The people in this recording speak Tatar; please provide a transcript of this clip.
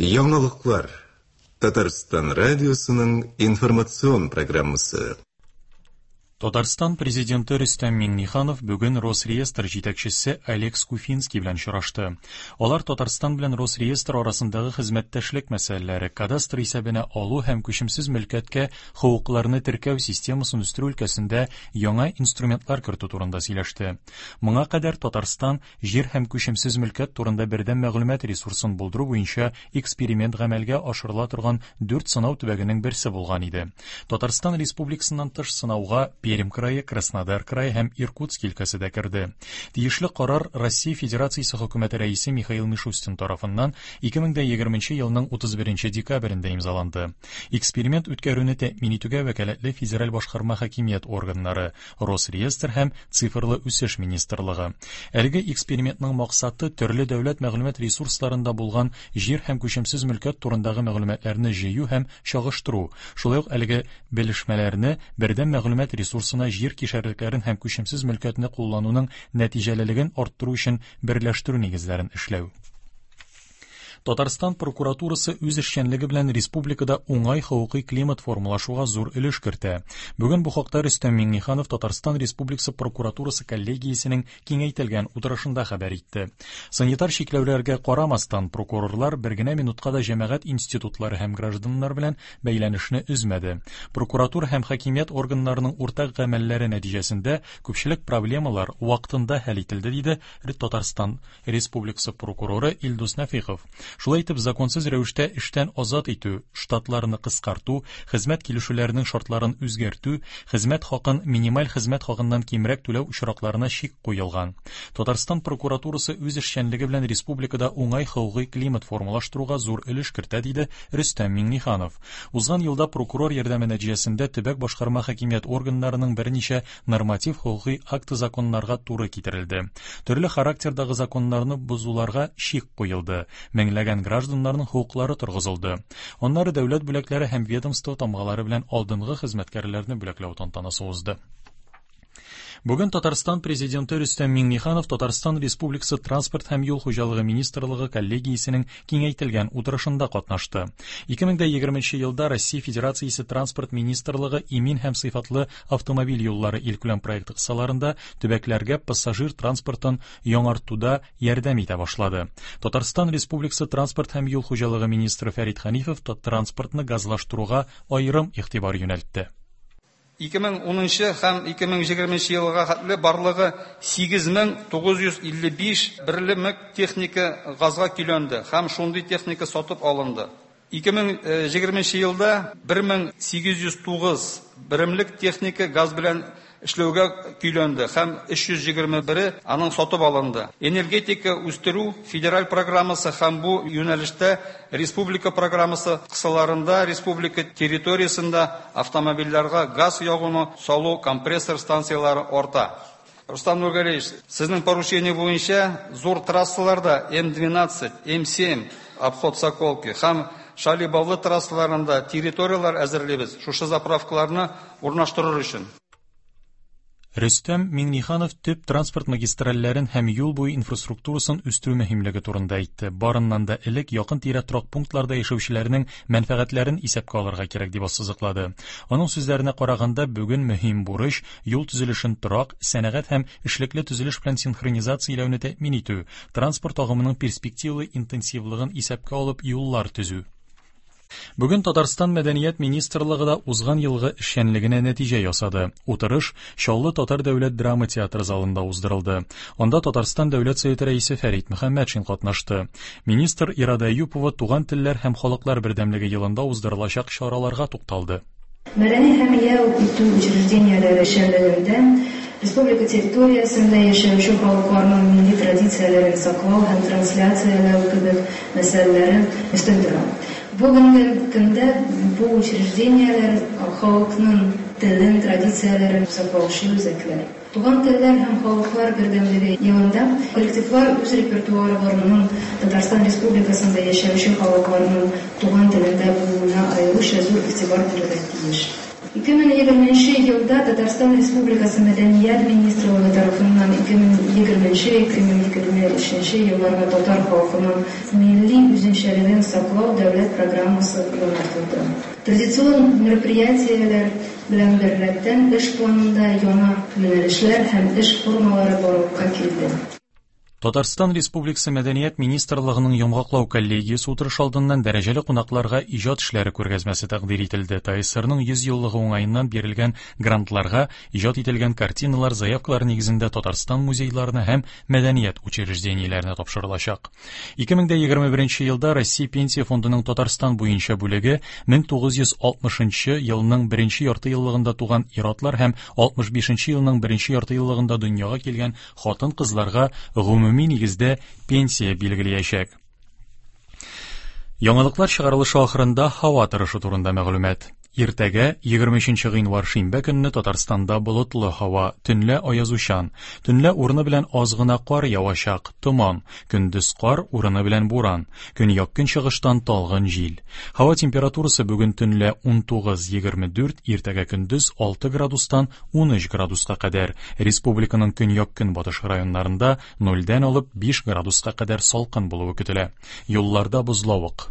Яңалыклар. Татарстан радиосының информацион программасы. Татарстан Президенты Рөстәм Миңнеханов бүген Росреестр җитәкчесе Олег Скуфинский белән очрашты. Алар Татарстан белән Росреестр арасындагы хезмәттәшлек мәсьәләләре, кадастр исәбенә алу һәм күчемсез мөлкәткә хокукларны теркәү системасын үстерү өлкәсендә яңа инструментлар кертү турында сөйләште. Моңа кадәр Татарстан Җир һәм күчемсез мөлкәт турында бердәм мәгълүмат ресурсын булдыру буенча эксперимент гамәлгә ашырыла торган дүрт сынау төбәгенең берсе булган иде. Татарстан Республикасыннан тыш сынауга Пермь крае, Краснодар крае һәм Иркутск өлкәсе дә керде. Тиешле карар Россия Федерациясе Хөкүмәте Рәисе Михаил Мишустин тарафыннан 2020 елның 31 декабрендә имзаланды. Эксперимент үткәрүне тәэмин итүгә вәкаләтле федераль башкарма хакимият органнары, Росреестр һәм Цифрлы үсеш министрлыгы. Әлеге экспериментның максаты төрле дәүләт мәгълүмат ресурсларында булган җир һәм күчемсез мөлкәт турындагы мәгълүматларны җыю һәм чагыштыру, шулай ук әлеге белешмәләрне бердәм мәгълүмат ресурсына җир кишәрлекләрен һәм күчемсез мөлкәтне куллануның нәтиҗәлелеген арттыру өчен берләштерү нигезләрен эшләү. Татарстан прокуратурасы үз эшчәнлеге белән республикада уңай хокукый климат формалашуга зур өлеш кертә. Бүген бу хакта Рөстәм Миңнеханов Татарстан Республикасы прокуратурасы коллегиясенең киңәйтелгән утырышында хәбәр итте. Санитар чикләүләргә карамастан, прокурорлар бер генә минутка да җәмәгать институтлары һәм гражданнар белән бәйләнешне өзмәде. Прокуратура һәм хакимият органнарының уртак гамәлләре нәтиҗәсендә күпчелек проблемалар вакытында хәл ителде, диде Татарстан Республикасы прокуроры Илдус Нәфыйков. Шулай итеп, законсыз рәвештә эштән азат итү, штатларны кыскарту, хезмәт килешүләренең шартларын үзгәртү, хезмәт хакын минималь хезмәт хакыннан кимрәк түләү очракларына чик куелган. Татарстан прокуратурасы үз эшчәнлеге белән республикада уңай хокукый климат формалаштыруга зур өлеш кертә, диде Рөстәм Миңнеханов. Узган елда прокурор ярдәме нәтиҗәсендә төбәк башкарма хакимият органнарының берничә норматив хокукый акты законнарга туры китерелде. Төрле характердагы законнарны бозуларга чик куелды, меңләгән гражданнарның хокуклары торгызылды. Аннары дәүләт бүләкләре һәм ведомство тамгалары белән алдынгы хезмәткәрләрне бүләкләү тантанасы узды. Бүген Татарстан Президенты Рөстәм Миңнеханов Татарстан Республикасы Транспорт һәм юл хуҗалыгы министрлыгы коллегиясенең киңәйтелгән утырышында катнашты. 2020 елда Россия Федерациясе Транспорт министрлыгы имин һәм сыйфатлы автомобиль юллары илкүләм проекты кысаларында төбәкләргә пассажир транспортын яңартуда ярдәм итә башлады. Татарстан Республикасы Транспорт һәм юл хуҗалыгы министры Фәрит Хәнифов транспортны газлаштыруга аерым игътибар юнәлтте. 2010 һәм 2020 елга хәтле барлыгы 8955 берлемек техника газга көйләнде һәм шундый техника сатып алынды. 2020 елда 1809 беремлек техника газ белән эшләүгә көйләнде һәм 321-е аның сатып алынды. Энергетика үстерү федераль программасы һәм бу юнәлештә республика программасы кысаларында республика территориясендә автомобильләргә газ ягуны салу компрессор станцияләре арта. Рустам Нургалиевич, сезнең поручение буенча зур трассаларда М12, М7 обход Соколки һәм Шали-Бавлы трассаларында территорияләр әзерлибез, шушы заправкаларны урнаштырыр өчен. Рөстәм Миңнеханов төп транспорт магистральләрен һәм юл буе инфраструктурасын үстерү мөһимлеге турында әйтте. Барыннан да элек якын-тирә торак пунктларда яшәүчеләрнең мәнфәгатьләрен исәпкә алырга кирәк, дип ассызыклады. Аның сүзләренә караганда, бүген мөһим бурыч, юл төзелешен торак, сәнәгать һәм эшлекле төзелеш белән синхронизацияләүне тәэмин итү, транспорт агымының перспективалы интенсивлыгын исәпкә алып юллар төзү. Бүген Татарстан Мәдәният министрлыгы да узган елгы эшчәнлегенә нәтиҗә ясады. Утырыш Чаллы татар дәүләт драма театры залында уздырылды. Анда Татарстан Дәүләт Советы рәисе Фәрит Мөхәммәтшин катнашты. Министр Ирада Әюпова Туган телләр һәм халыклар бердәмлеге елында уздырылачак чараларга тукталды. Мәдәни һәм ял итү учреждениеләре эшчәнлегендә республика территориясендә яшәүче халыкларның милли традицияләрен саклау һәм трансляцияләү кебек мәсьәләләре өстен тора. Бүгенге көндә бу учреждениеләр халыкның телен, традицияләрен саклаучы үзәкләр. Туган телләр һәм халыклар бердәмлеге елында коллективлар үз репертуарларының Татарстан Республикасында яшәүче халыкларның туган телендә булуына аеруча зур игътибар бирергә тиеш. 2020 нче елда Татарстан Республикасы Мәдәният министрлыгы тарафыннан 2020-2023 елларга татар халкының милли үзенчәлеген саклау дәүләт программасы яңартылды. Традицион мероприятиеләр белән беррәттән эш планында яңа юнәлешләр һәм эш формалары барлыкка килде. Татарстан Республикасы Мәдәният министрлыгының йомгаклау коллегиясе утырышы алдыннан дәрәҗәле кунакларга иҗат эшләре күргәзмәсе тәкъдир ителде. ТАССРның 100 еллыгы уңаеннан бирелгән грантларга иҗат ителгән картиналар заявкалар нигезендә Татарстан музейларына һәм мәдәният учреждениеләренә тапшырылачак. 2021 елда Россия Пенсия фондының Татарстан буенча бүлеге 1960 елның беренче ярты еллыгында туган ир-атлар һәм 65 елның беренче ярты еллыгында дөньяга килгән хатын-кызларга гомуми нигездә пенсия билгеләячәк. Яңалыклар чыгарылышы ахырында һава торышы турында мәгълүмат. Иртәгә, 23 гыйнвар шимбә көнне Татарстанда болытлы һава, төнлә аязучан. Төнлә урыны белән аз гына кар явачак, томан, көндез кар, урыны белән буран. Көньяк-көнчыгыштан талгын җил. Һава температурасы бүген төнлә 19-24, иртәгә көндез 6 градустан 13 градуска кадәр. Республиканың көньяк-көнбатыш районнарында нольдән алып 5 градуска кадәр салкын булуы көтелә. Юлларда бозлавык.